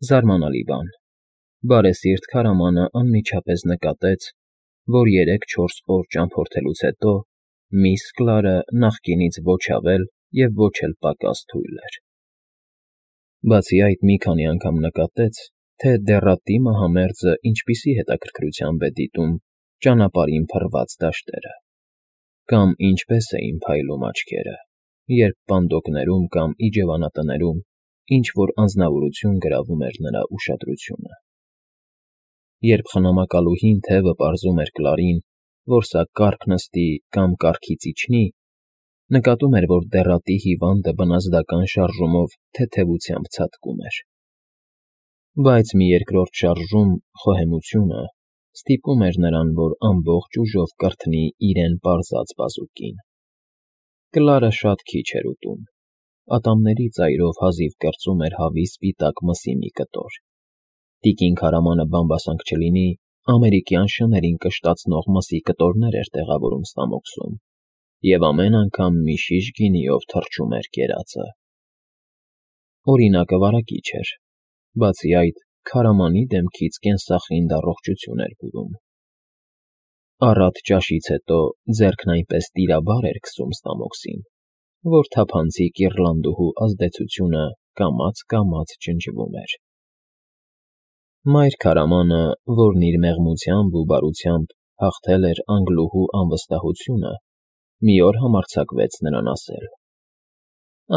Զարմանալի բան, բարեսիրտ քարամանը անմիջապես նկատեց, որ 3-4 օր ճամփորդելուց հետո միս Կլարը նախկինից ոչ ավել և ոչ էլ պակաս թույլ էր. բացի այդ մի քանի անգամ նկատեց, թե դեռատի մահամերձը ինչպիսի հետաքրքրությամբ է դիտում ճանապարհին փռված դաշտերը, կամ ինչպես էին փայլում աչքերը, երբ պանդոկներում կամ իջևանատներում ինչ-որ անձնավորություն գրավում էր նրա ուշադրությունը։ Երբ խնամակալուհին թևը պարզում էր Կլարին, որ սա կառք նստի կամ կառքից իջնի, նկատում էր, որ դեռատի հիվանդը բնազդական շարժումով թեթևությամբ ցատկում էր։ Բայց մի երկրորդ շարժում, խոհեմությունը, ստիպում էր նրան, որ ամբողջ ուժով կրթնի իրեն պարզած բազուկին։ Կլարը շատ քիչ էր ուտում, ատամների ծայրով հազիվ կրծում էր հավի սպիտակ մսի մի կտոր։ Տիկին քարամանը բամբասանք չլինի, ամերիկյան շներին կշտացնող մսի կտորներ էր տեղավորում ստամոքսում և ամեն անգամ մի շիշ գինիով թռչում էր կերածը։ Օրինակը վարակիչ էր, բացի այդ, քարամանի դեմքից կենսախինդ առողջություն էր բուրում։ Առատ ճաշից հետո ձեռքն այնպես տիրաբար էր քսում ստամոքսին, որ թափանցիկ իռլանդուհու ազդեցությունը կամաց ջնջվում էր։ Մայր քարամանը, որն իր մեղմությամբ ու բարությամբ հաղթել էր անգլուհու անվստահությունը, մի օր համարձակվեց նրան ասել.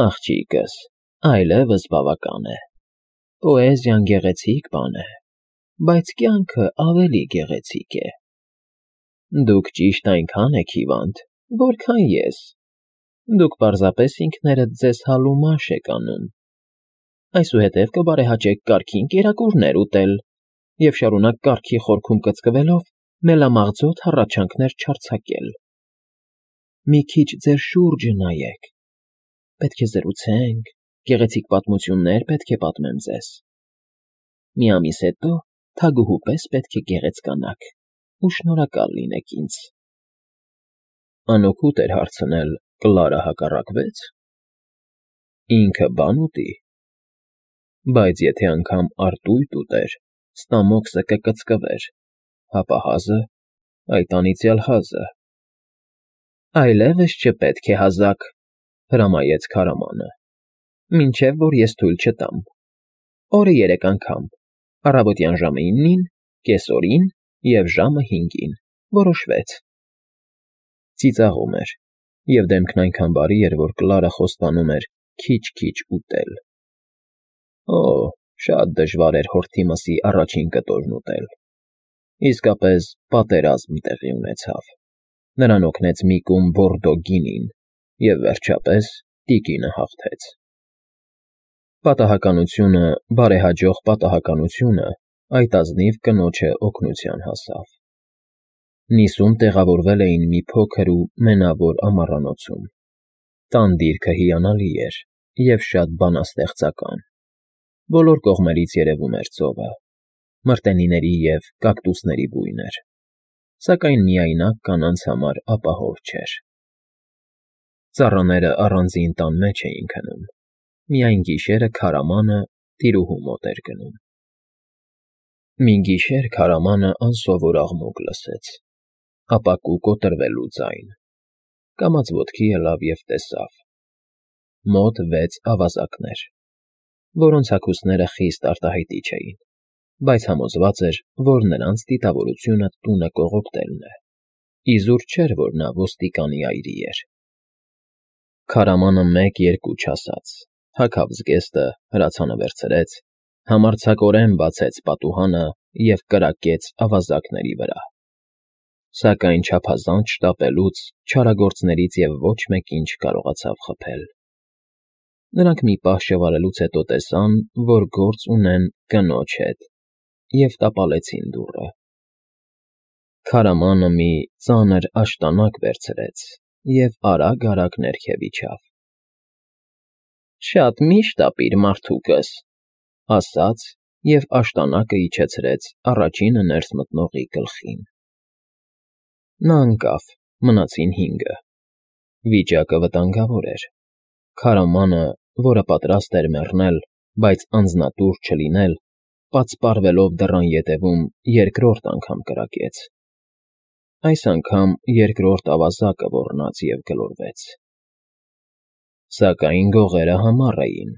«Աղջիկս, այլևս բավական է։ Պոեզիան գեղեցիկ բան է, բայց կյանքը ավելի գեղեցիկ է։ Դուք ճիշտ այնքան եք հիվանդ, որքան ես։ Դուք պարզապես ինքներդ ձեզ հալումաշ եք անում։ Այսուհետև կբարեհաճեք կարգին կերակուրներ ուտել և շարունակ կառքի խորքում կծկվելով մելամաղձոտ հառաչանքներ չարձակել։ Մի քիչ ձեր շուրջը նայեք։ Պետք է զրուցենք, գեղեցիկ պատմություններ պետք է պատմեմ ձեզ։ Մի ամիս հետո թագուհու պես պետք է գեղեցկանաք ու շնորհակալ լինեք ինձ»։ Անօգուտ էր հարցնել. Կլարը հակառակվե՞ց։ Ինքը բան ուտի։ Բայց եթե անգամ արտույտ ուտեր, ստամոքսը կկծկվեր, հապա հազը, այդ անիծյալ հազը։ Այլևս չպետք է հազաք, հրամայեց քարամանը, մինչև որ ես թույլ չտամ։ Օրը 3 անգամ, առավոտյան ժամը 9-ին, կեսօրին և ժամը 5-ին, որոշվեց։ Ծիծաղում էր, և դեմքն այնքան բարի էր, որ Կլարը խոստանում էր քիչ֊քիչ ուտել։ Օ, շատ դժվար էր հորթի մսի առաջին կտորն ուտել։ Իսկապես պատերազմ տեղի ունեցավ։ Նրան օգնեց մի կում բորդո գինին, և վերջապես տիկինը հաղթեց։ Պատահականությունը, բարեհաջող պատահականությունը այդ ազնիվ կնոջը օգնության հասավ։ Նիսում տեղավորվել էին մի փոքր ու մենավոր ամառանոցում։ Տան դիրքը հիանալի էր և շատ բանաստեղծական։ Բոլոր կողմերից երևում էր ծովը, մրտենիների և կակտուսների բույն էր, սակայն միայնակ կանանց համար ապահով չէր։ Ծառաները առանձին տան մեջ էին քնում, միայն գիշերը քարամանը տիրուհու մոտ էր գնում։ Մի գիշեր քարամանը անսովոր աղմուկ լսեց, ապակու կոտրվելու ձայն, կամաց ոտքի ելավ և տեսավ. մոտ 6 ավազակներ, որոնց հագուստները խիստ արտահայտիչ էին, բայց համոզված էր, որ նրանց դիտավորությունը տունը կողոպտելն է, իզուր չէր, որ նա ոստիկանի այրի էր։ Քարամանը 1-2 չասաց, թաքավ զգեստը, հրացանը վերցրեց, համարձակորեն բացեց պատուհանը և կրակեց ավազակների վրա։ Սակայն չափազանց շտապելուց չարագործներից և ոչ մեկին չկարողացավ խփել։ Նրանք մի պահ շվարելուց հետո տեսան, որ գործ ունեն կնոջ հետ, և տապալեցին դուռը։ Քարամանը մի ծանր աշտանակ վերցրեց և արագ ներքև իջավ։ «Շատ մի՛ շտապիր, մարդուկս», ասաց և աշտանակը իջեցրեց առաջինը ներս մտնողի գլխին։ Նա ընկավ, մնացին 5-ը։ Վիճակը վտանգավոր էր։ Քարամանը, որը պատրաստ էր մեռնել, բայց անձնատուր չլինել, պատսպարվելով դռան ետևում երկրորդ անգամ կրակեց։ Այս անգամ երկրորդ ավազակը ոռնաց և գլորվեց։ Սակայն գողերը համառ էին։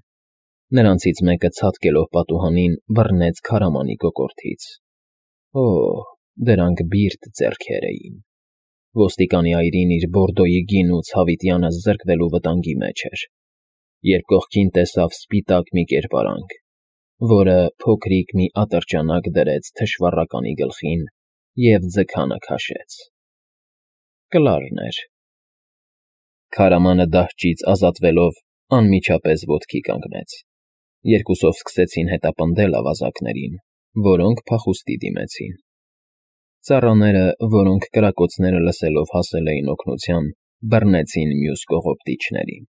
Նրանցից մեկը ցատկելով պատուհանին բռնեց քարամանի կոկորդից։ Օ՜, դրանք բիրտ ձեռքեր էին։ Ոստիկանի այրին իր բորդոյի գինու ցավիտյանը զրկվելու վտանգի մեջ էր, երբ կողքին տեսավ սպիտակ մի կերպարանք, որը փոքրիկ մի ատրճանակ դրեց թշվառականի գլխին և ձգանը քաշեց։ Կլարն էր։ Քարամանը դահճից ազատվելով անմիջապես ոտքի կանգնեց։ Երկուսով սկսեցին հետապնդել ավազակներին, որոնք փախուստի դիմեցին։ Ծառաները, որոնք կրակոցները լսելով հասել էին օգնության, բռնեցին մյուս կողոպտիչներին։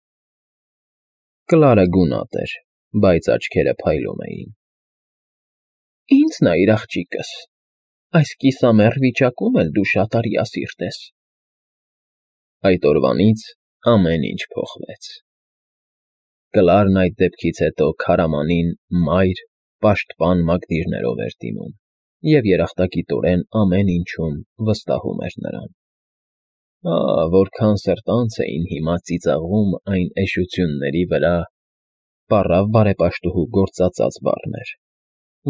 Կլարը գունատ էր, բայց աչքերը փայլում էին։ Ինձ նայիր, աղջիկս, այս կիսամեռ վիճակում էլ դու շատ արիասիրտ ես։ Այդ օրվանից ամեն ինչ փոխվեց։ Կլարն այդ դեպքից հետո քարամանին մայր, պաշտպան մակդիրներով էր դիմում և երախտագիտորեն ամեն ինչում վստահում էր նրան։ Որքան սրտանց էին հիմա ծիծաղում այն էշությունների վրա, պառավ բարեպաշտուհու գործածած բառներ,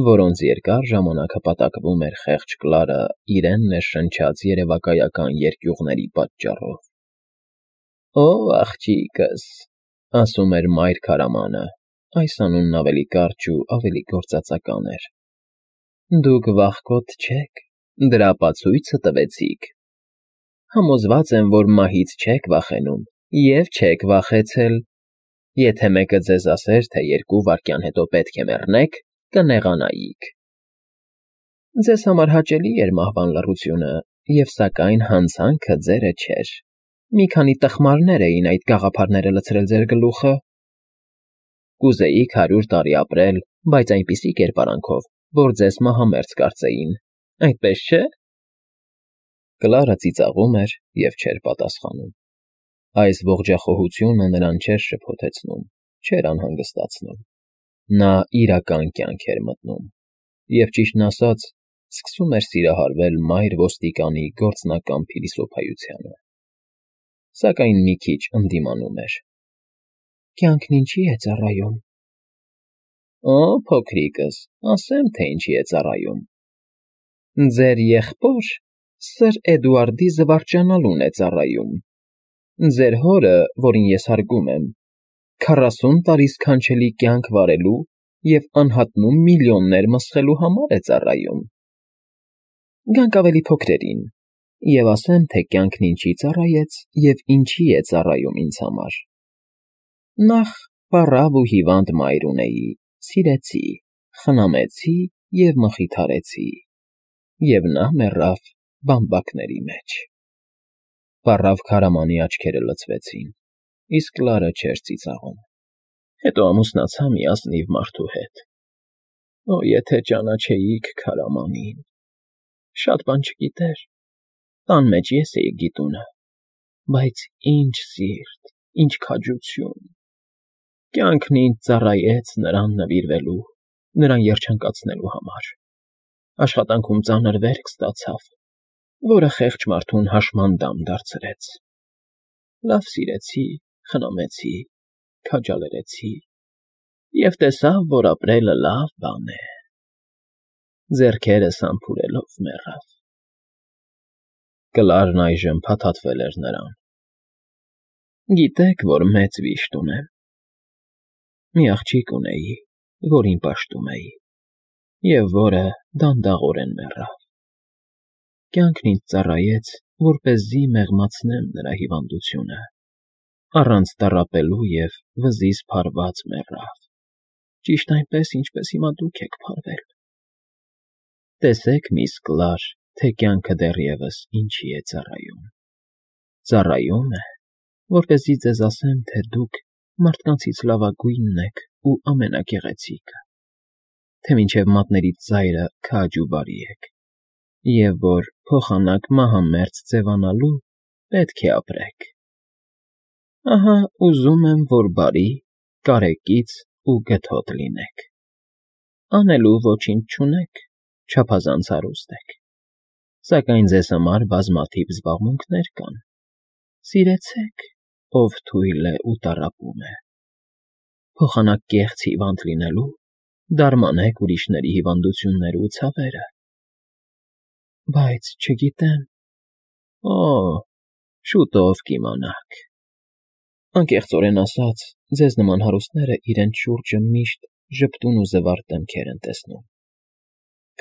որոնց երկար ժամանակ հպատակվում էր խեղճ Կլարը իրեն ներշնչած երևակայական երկյուղների պատճառով։ Օ, աղջիկս, ասում էր մայր քարամանը, այս անունն ավելի կարճ ու ավելի գործածական էր։ Դուք վախկոտ չեք, դրա ապացույցը տվեցիք։ Համոզված եմ, որ մահից չեք վախենում և չեք վախեցել։ Եթե մեկը ձեզ ասեր, թե 2 վայրկյան հետո պետք է մեռնեք, կնեղանայիք։ Ձեզ համար հաճելի էր մահվան լռությունը, և սակայն հանցանքը ձերը չէր։ Մի քանի տխմարներ էին այդ գաղափարները լցրել ձեր գլուխը։ Կուզեիք 100 տարի ապրել, բայց այնպիսի կերպարանքով, որ ձեզ մահամերձ կարծեին, այդպես չէ՞։ Կլարը ծիծաղում էր և չէր պատասխանում։ Այս ողջախոհությունը նրան չէր շփոթեցնում, չէր անհանգստացնում։ Նա իրական կյանք էր մտնում և, ճիշտն ասած, սկսում էր սիրահարվել մայր ոստիկանի գործնական փիլիսոփայությանը։ Սակայն մի քիչ ընդդիմանում էր։ Կյանքն ինչի է ծառայում։ Օ, փոքրիկս, ասեմ, թե ինչի է ծառայում։ Ձեր եղբոր Սր Էդուարդի զվարճանալուն է ծառայում։ Ձեր հորը, որին ես հարգում եմ, 40 տարի սքանչելի կյանք վարելու և անհատնում միլիոններ մսխելու համար է ծառայում։ Գանք ավելի փոքրերին, և ասեմ, թե կյանքն ինչի ծառայեց և ինչի է ծառայում ինձ համար։ Նախ պառավ ու հիվանդ մայր ունեի, սիրեցի, խնամեցի և մխիթարեցի, և նա մեռավ բամբակների մեջ։ Պառավ քարամանի աչքերը լցվեցին, իսկ Կլարը չէր ծիծաղում։ Հետո ամուսնացա մի ազնիվ մարդու հետ։ Օ, եթե ճանաչեիք քարամանին։ Շատ բան չգիտեր, տան մեջ ես էի գիտունը, բայց ինչ սիրտ, ինչ քաջություն։ Կյանքն ինձ ծառայեց նրան նվիրվելու, նրան երջանկացնելու համար։ Աշխատանքում ծանր վերք ստացավ, որը խեղճ մարդուն հաշմանդամ դարձրեց։ Լավ սիրեցի, խնամեցի, քաջալերեցի և տեսավ, որ ապրելը լավ բան է։ Ձեռքերս համբուրելով մեռավ։ Կլարն այժմ փաթաթվել էր նրան։ Գիտեք, որ մեծ վիշտ ունեմ։ Մի աղջիկ ունեի, որին պաշտում էի, և որը դանդաղորեն մեռավ։ Կյանքն ինձ ծառայեց, որպեսզի մեղմացնեմ նրա հիվանդությունը, առանց տառապելու և վզից փարված մեռավ, ճիշտ այնպես, ինչպես հիմա դուք եք փարվել։ Տեսեք, միս Կլար, թե կյանքը դեռևս ինչի է ծառայում։ Ծառայում է, որպեսզի ձեզ ասեմ, թե դուք մարդկանցից լավագույնն եք ու ամենագեղեցիկը, թե մինչև մատներիդ ծայրը քաջ ու բարի եք, և որ փոխանակ մահամերձ ձևանալու պետք է ապրեք։ Ահա ուզում եմ, որ բարի, կարեկից ու գթոտ լինեք։ Անելու ոչինչ չունեք, չափազանց հարուստ եք, սակայն ձեզ համար բազմաթիվ զբաղմունքներ կան. սիրեցեք, ով թույլ է ու տառապում է, փոխանակ կեղծ հիվանդ լինելու, դարմանեք ուրիշների հիվանդությունները ու ցավերը, բայց չգիտեմ, շուտով կիմանաք։ Անկեղծորեն ասած, ձեզ նման հարուստները իրենց շուրջը միշտ ժպտուն ու զվարթ դեմքեր են տեսնում.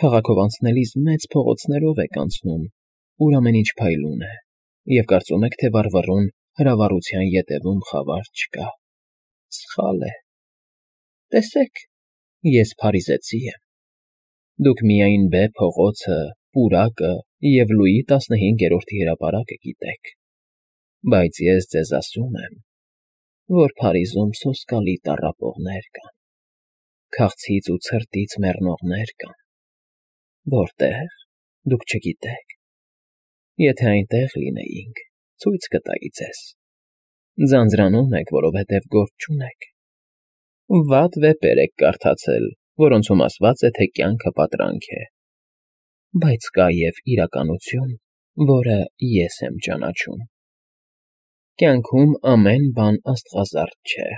քաղաքով անցնելիս մեծ փողոցներով եք անցնում, ուր ամեն ինչ փայլուն է, և կարծում եք, թե վառվռուն հրավառության ետևում խավար չկա։ Սխալ է։ Տեսեք, ես փարիզեցի եմ։ Դուք միայն Բ փողոցը, պուրակը և Լուիի 15-րդի հրապարակը գիտեք, բայց ես ձեզ ասում եմ, որ Փարիզում սոսկալի տառապողներ կան, քաղցից ու ցրտից մեռնողներ կան, որտեղ, դուք չգիտեք, եթե այնտեղ լինեինք, ցույց կտայի ձեզ, ձանձրանում եք, որովհետև գործ չունեք, վատ վեպեր եք կարդացել, որոնցում ասված է, թե կյանքը պատրանք է, բայց կա և իրականություն, որը ես եմ ճանաչում։ Կյանքում ամեն բան աստղազարդ չէ։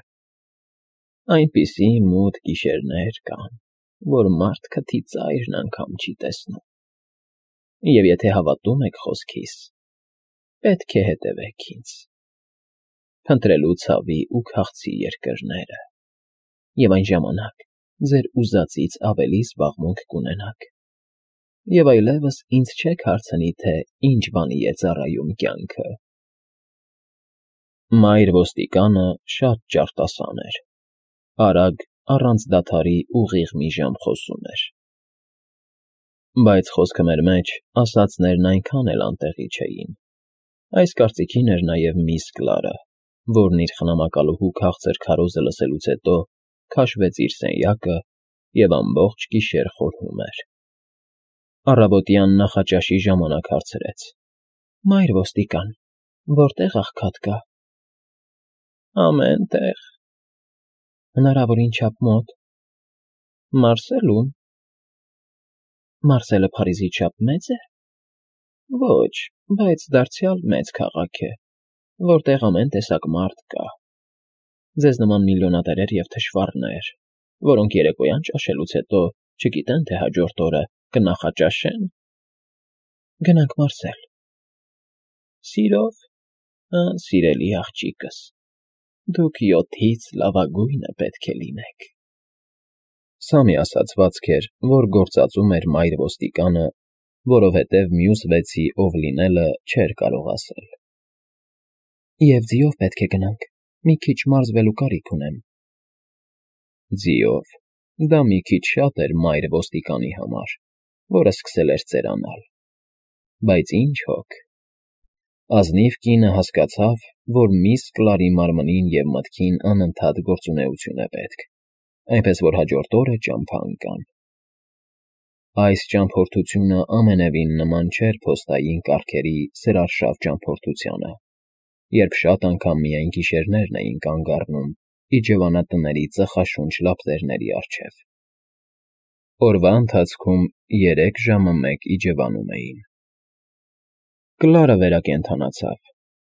Այնպիսի մութ գիշերներ կան, որ մարդ քթի ծայրն անգամ չի տեսնում։ Եվ եթե հավատում եք խոսքիս, պետք է հետևեք ինձ, փնտրելու ցավի ու քաղցի երկրները, և այն ժամանակ ձեր ուզածից ավելի զբաղմունք կունենաք, և այլևս ինձ չեք հարցնի, թե ինչ բանի է ծառայում կյանքը։ Մայր ոստիկանը շատ ճարտասան էր, արագ, առանց դադարի ուղիղ մի ժամ խոսում էր։ Բայց խոսքը մեր մեջ ասածներն այնքան էլ անտեղի չէին։ Այս կարծիքին էր նաև միս Կլարը, որն իր խնամակալուհու քաղցր քարոզը լսելուց հետո քաշվեց իր սենյակը և ամբողջ գիշեր խորհում էր։ Առավոտյան նախաճաշի ժամանակ հարցրեց. Մայր ոստիկան, որտե՞ղ աղքատ կա։ Ամեն տեղ։ Հնարավորին չափ մոտ։ Մարսելում։ Մարսելը Փարիզի չափ մեծ է։ Ոչ, բայց դարձյալ մեծ քաղաք է, որտեղ ամեն տեսակ մարդ կա։ Ձեզ նման միլիոնատերեր և թշվառներ, որոնք երեկոյան ճաշելուց հետո չգիտեն, թե հաջորդ օրը կնախաճաշեն։ Գնանք մարսել։ Սիրով, սիրելի աղջիկս, դուք 7-ից լավագույնը պետք է լինեք։ Սա մի ասացվածք էր, որ գործածում էր մայր ոստիկանը, որովհետև մյուս 6-ի ով լինելը չէր կարող ասել։ Եվ ձիով պետք է գնանք, մի քիչ մարզվելու կարիք ունեմ։ Ձիով, դա մի քիչ շատ էր մայր ոստիկանի համար, որը սկսել էր ծերանալ։ Բայց ինչ հոգ։ Ազնիվ կինը հասկացավ, որ միս Կլարի մարմնին և մտքին անընդհատ գործունեություն է պետք, այնպես որ հաջորդ օրը ճամփա ընկան։ Այս ճամփորդությունը ամենևին նման չէր փոստային կառքերի սրարշավ ճամփորդությանը, երբ շատ անգամ միայն գիշերներն էին կանգ առնում իջևանատների ծխաշունչ լապտերների առջև։ Օրվա ընթացքում 3 ժամը մեկ իջևանում էին։ Կլարը վերակենդանացավ,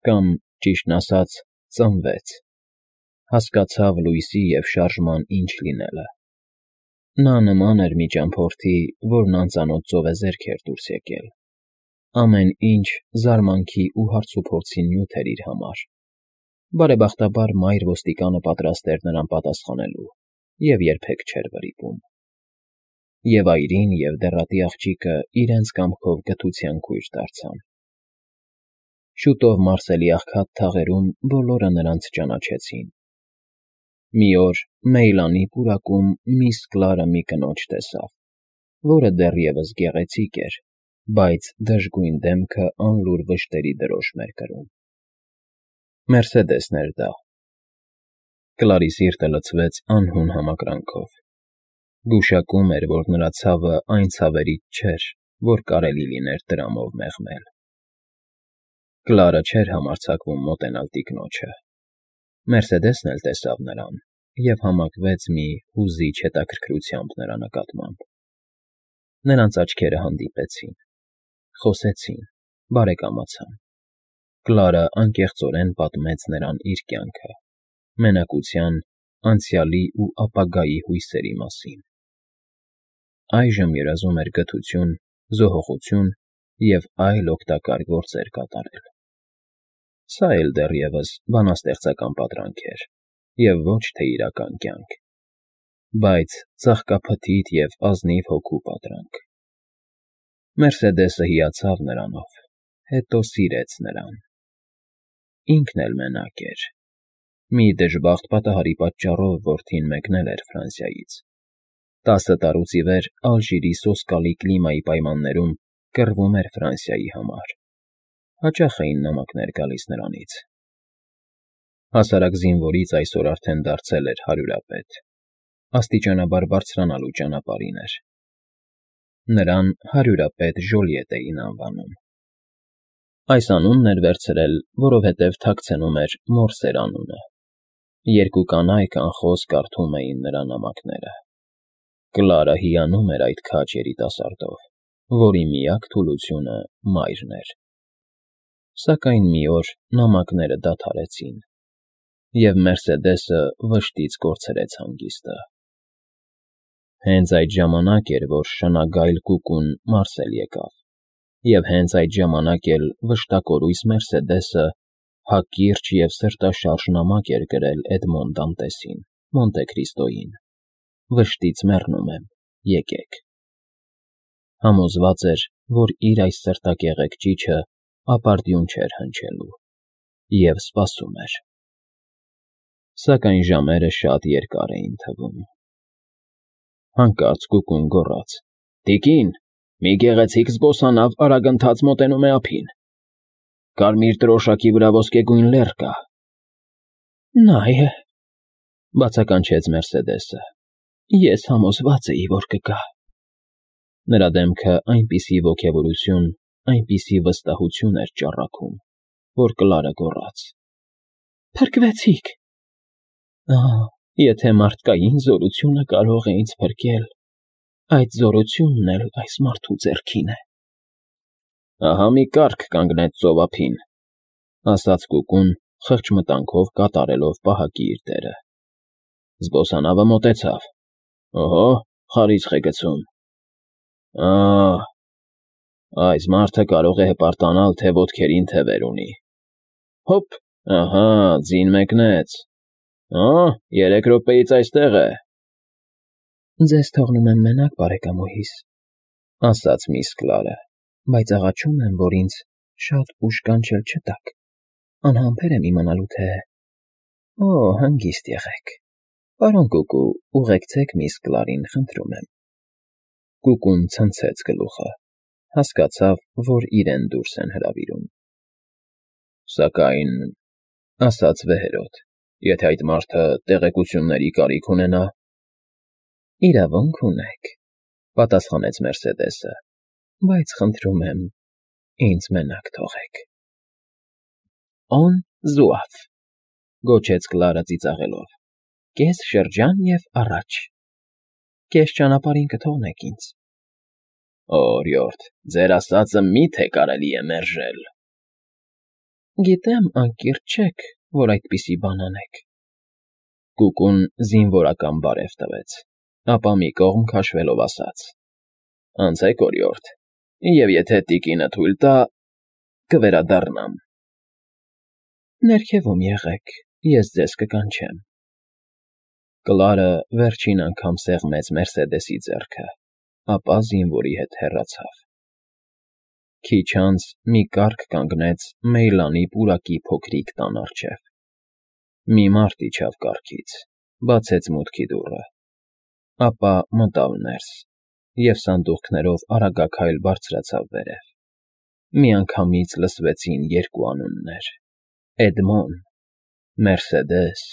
կամ, ճիշտն ասած, ծնվեց, հասկացավ լույսի և շարժման ինչ լինելը։ Նա նման էր մի ճամփորդի, որն անծանոթ ծովեզերք էր դուրս եկել։ Ամեն ինչ զարմանքի ու հարցուփորձի նյութ էր իր համար։ Բարեբախտաբար մայր ոստիկանը պատրաստ էր նրան պատասխանելու և երբեք չէր վրիպում։ Եվ այրին և դեռատի աղջիկը իրենց կամքով գթության կույր դարձան։ Շուտով մարսելի աղքատ թաղերում բոլորը նրանց ճանաչեցին։ Մի օր Մեյլանի պուրակում միս Կլարը մի կնոջ տեսավ, որը դեռևս գեղեցիկ էր, բայց դժգույն դեմքը անլուր վշտերի դրոշմ էր կրում։ Մերսեդեսն էր դա։ Կլարի սիրտը լցվեց անհուն համակրանքով։ Գուշակում էր, որ նրա ցավը այն ցավերից չէր, որ կարելի լիներ դրամով մեղմել։ Կլարը չէր համարձակվում մոտենալ տիկնոջը։ Մերսեդեսն էլ տեսավ նրան և համակվեց մի հուզիչ հետաքրքրությամբ նրա նկատմամբ։ Նրանց աչքերը հանդիպեցին, խոսեցին, բարեկամացան։ Կլարը անկեղծորեն պատմեց նրան իր կյանքը, մենակության, անցյալի ու ապագայի հույսերի մասին։ Այժմ երազում էր կրթություն, զոհողություն և այլ օգտակար գործեր կատարել։ Սա էլ դեռևս բանաստեղծական պատրանք էր, և ոչ թե իրական կյանք, բայց ծաղկափթիթ և ազնիվ հոգու պատրանք։ Մերսեդեսը հիացավ նրանով, հետո սիրեց նրան։ Ինքն էլ մենակ էր։ Մի դժբախտ պատահարի պատճառով որդին մեկնել էր Ֆրանսիայից։ 10 տարուց ի վեր Ալժիրի սոսկալի կլիմայի պայմաններում կռվում էր Ֆրանսիայի համար։ Հաճախ էին նամակներ գալիս նրանից։ Հասարակ զինվորից այսօր արդեն դարձել էր հարյուրապետ, աստիճանաբար բարձրանալու ճանապարհին էր։ Նրան հարյուրապետ Ժոլիետ էին անվանում։ Այս անունն էր վերցրել, որովհետև թաքցնում էր Մորսեր անունը։ Երկու կանայք անխոս կարդում էին նրա նամակները։ Կլարը հիանում էր այդ քաջ երիտասարդով, որի միակ թուլությունը մայրն էր։ Սակայն մի օր նամակները դադարեցին, և Մերսեդեսը վշտից կորցրեց հանգիստը։ Հենց այդ ժամանակ էր, որ շնագայլ կուկուն Մարսել եկավ, և հենց այդ ժամանակ էլ վշտակորույս Մերսեդեսը հակիրճ և սրտաշարժ նամակ էր գրել Էդմոն Դանտեսին, Մոնտե Քրիստոյին. «Վշտից մեռնում եմ, եկեք»։ Համոզված էր, որ իր այս սրտակեղեկ ճիչը ապարդյուն չէր հնչելու, և սպասում էր։ Սակայն ժամերը շատ երկար էին թվում։ Հանկարծ կուկուն գոռաց. «Տիկին, մի գեղեցիկ զբոսանավ արագընթաց մոտենում է ափին։ Կարմիր դրոշակի վրա ոսկեգույն լեռ կա»։ «Նա է,» բացականչեց Մերսեդեսը։ «Ես համոզված էի, որ կգա»։ Նրա դեմքը այնպիսի ոգևորություն, այնպիսի վստահություն էր ճառագում, որ Կլարը գոռաց. «Փրկվեցի՞ք»։ Եթե մարդկային զորությունը կարող է ինձ փրկել, այդ զորությունն էլ այս մարդու ձեռքին է։ Ահա մի կառք կանգնեց ծովափին, ասաց կուկուն, խղճմտանքով կատարելով պահակի իր դերը։ Զբոսանավը մոտեցավ։ Օհո, խարիսխ է գցում։ Այս մարդը կարող է հպարտանալ, թե ոտքերին թևեր ունի։ Հոպ, ահա, ձին մեկնեց։ 3 րոպեից այստեղ է։ Ձեզ թողնում եմ մենակ, բարեկամուհիս, ասաց միս Կլարը, բայց աղաչում եմ, որ ինձ շատ ուշ կանչել չտաք, անհամբեր եմ իմանալու, թե… Հանգիստ եղեք, պարոն Կուկու, ուղեկցեք միս Կլարին, խնդրում եմ։ Կուկուն ցնցեց գլուխը, հասկացավ, որ իրեն դուրս են հրավիրում։ Սակայն, ասաց վեհերոտ, եթե այդ մարդը տեղեկությունների կարիք ունենա… Իրավունք ունեք, պատասխանեց Մերսեդեսը, բայց խնդրում եմ, ինձ մենակ թողեք։ On Zouaf, գոչեց Կլարը ծիծաղելով, կես շրջան և առաջ։ Կես ճանապարհին կթողնեք ինձ։ Օրիորդ, ձեր ասածը մի՞թե կարելի է մերժել։ Գիտեմ, անկիրք չեք, որ այդպիսի բան անեք։ Կուկուն զինվորական բարև տվեց, ապա մի կողմ քաշվելով ասաց. Անցեք, օրիորդ, և եթե տիկինը թույլ տա, կվերադառնամ։ Ներքևում եղեք, ես ձեզ կկանչեմ։ Կլարը վերջին անգամ սեղմեց Մերսեդեսի ձեռքը, ապա զինվորի հետ հեռացավ։ Քիչ անց մի կառք կանգնեց Մեյլանի պուրակի փոքրիկ տան առջև։ Մի մարդ իջավ կառքից, բացեց մուտքի դուռը, ապա մտավ ներս և սանդուղքներով արագաքայլ բարձրացավ վերև։ Միանգամից լսվեցին երկու անուններ. Էդմոն, Մերսեդես։